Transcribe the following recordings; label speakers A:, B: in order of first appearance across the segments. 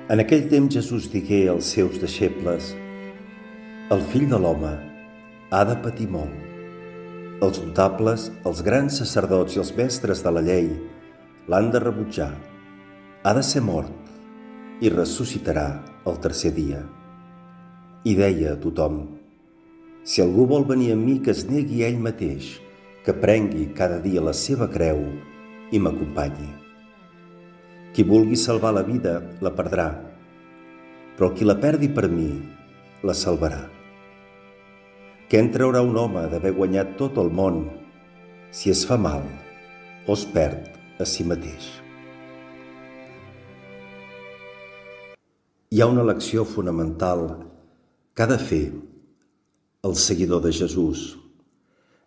A: En aquell temps Jesús digué als seus deixebles: el fill de l'home ha de patir molt. Els notables, els grans sacerdots i els mestres de la llei l'han de rebutjar. Ha de ser mort i ressuscitarà el tercer dia. I deia a tothom: si algú vol venir amb mi, que es negui a ell mateix, que prengui cada dia la seva creu i m'acompanyi. Qui vulgui salvar la vida la perdrà, però qui la perdi per mi la salvarà. Què en traurà un home d'haver guanyat tot el món si es fa mal o es perd a si mateix? Hi ha una lecció fonamental que ha de fer el seguidor de Jesús.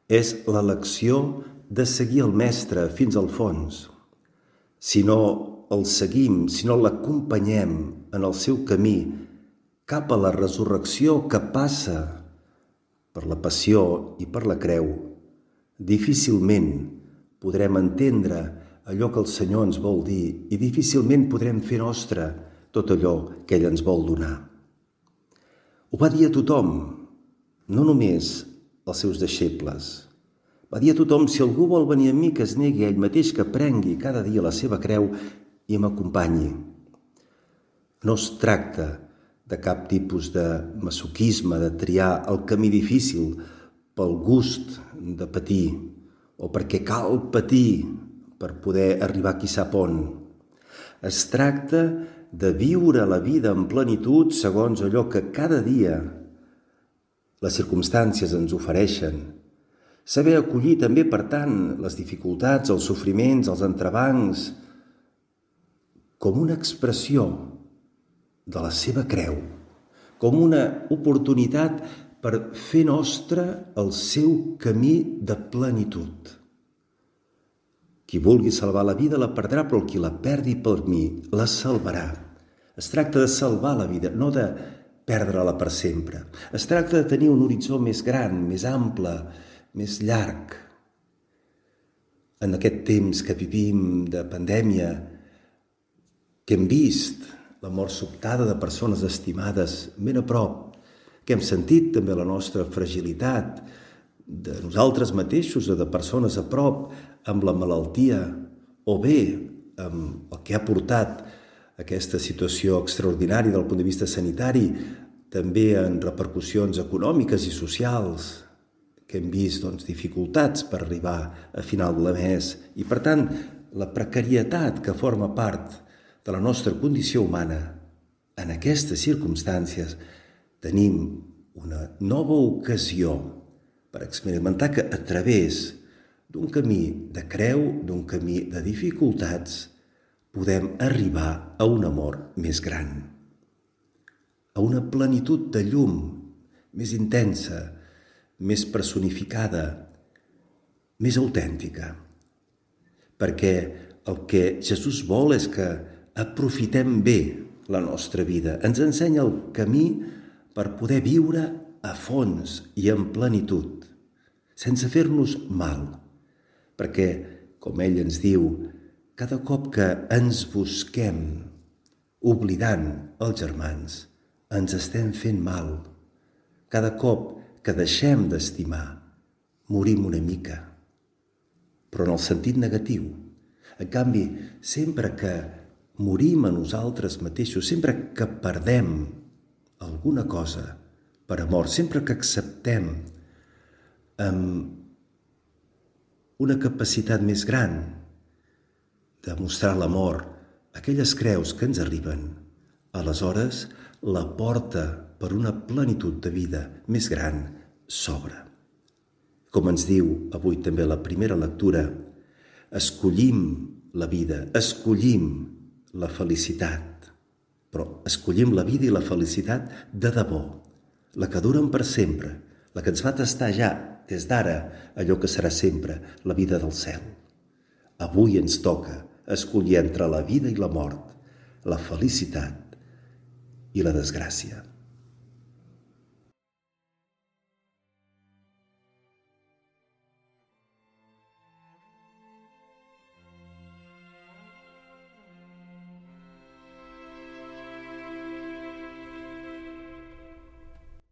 A: És la lecció de seguir el Mestre fins al fons. Si no el seguim, si no l'acompanyem en el seu camí cap a la resurrecció que passa per la passió i per la creu, difícilment podrem entendre allò que el Senyor ens vol dir i difícilment podrem fer nostre tot allò que ell ens vol donar. Ho va dir a tothom, no només als seus deixebles. Va dir a tothom: si algú vol venir a mi, que es negui a ell mateix, que prengui cada dia la seva creu i m'acompanyi. No es tracta de cap tipus de masoquisme, de triar el camí difícil pel gust de patir o perquè cal patir per poder arribar qui sap on. Es tracta de viure la vida en plenitud segons allò que cada dia les circumstàncies ens ofereixen. Saber acollir també, per tant, les dificultats, els sofriments, els entrebancs, com una expressió de la seva creu, com una oportunitat per fer nostre el seu camí de plenitud. Qui vulgui salvar la vida la perdrà, però el qui la perdi per mi la salvarà. Es tracta de salvar la vida, no de perdre-la per sempre. Es tracta de tenir un horitzó més gran, més ample, més llarg. En aquest temps que vivim de pandèmia, que hem vist la mort sobtada de persones estimades ben a prop, que hem sentit també la nostra fragilitat de nosaltres mateixos o de persones a prop amb la malaltia, o bé amb el que ha portat aquesta situació extraordinària del punt de vista sanitari, també en repercussions econòmiques i socials, que hem vist dificultats per arribar a final de mes i, per tant, la precarietat que forma part de la nostra condició humana. En aquestes circumstàncies tenim una nova ocasió per experimentar que a través d'un camí de creu, d'un camí de dificultats, podem arribar a un amor més gran, a una plenitud de llum més intensa, més personificada, més autèntica. Perquè el que Jesús vol és que aprofitem bé la nostra vida. Ens ensenya el camí per poder viure a fons i en plenitud, sense fer-nos mal. Perquè, com ell ens diu, cada cop que ens busquem, oblidant els germans, ens estem fent mal. Cada cop que deixem d'estimar, morim una mica, però en el sentit negatiu. En canvi, sempre que morim a nosaltres mateixos, sempre que perdem alguna cosa per amor, sempre que acceptem amb una capacitat més gran de mostrar l'amor aquelles creus que ens arriben, aleshores la porta per una plenitud de vida més gran s'obre. Com ens diu avui també la primera lectura, escollim la vida, escollim la felicitat, però escollim la vida i la felicitat de debò, la que duren per sempre, la que ens fa tastar ja, des d'ara, allò que serà sempre, la vida del cel. Avui ens toca escollir entre la vida i la mort, la felicitat i la desgràcia.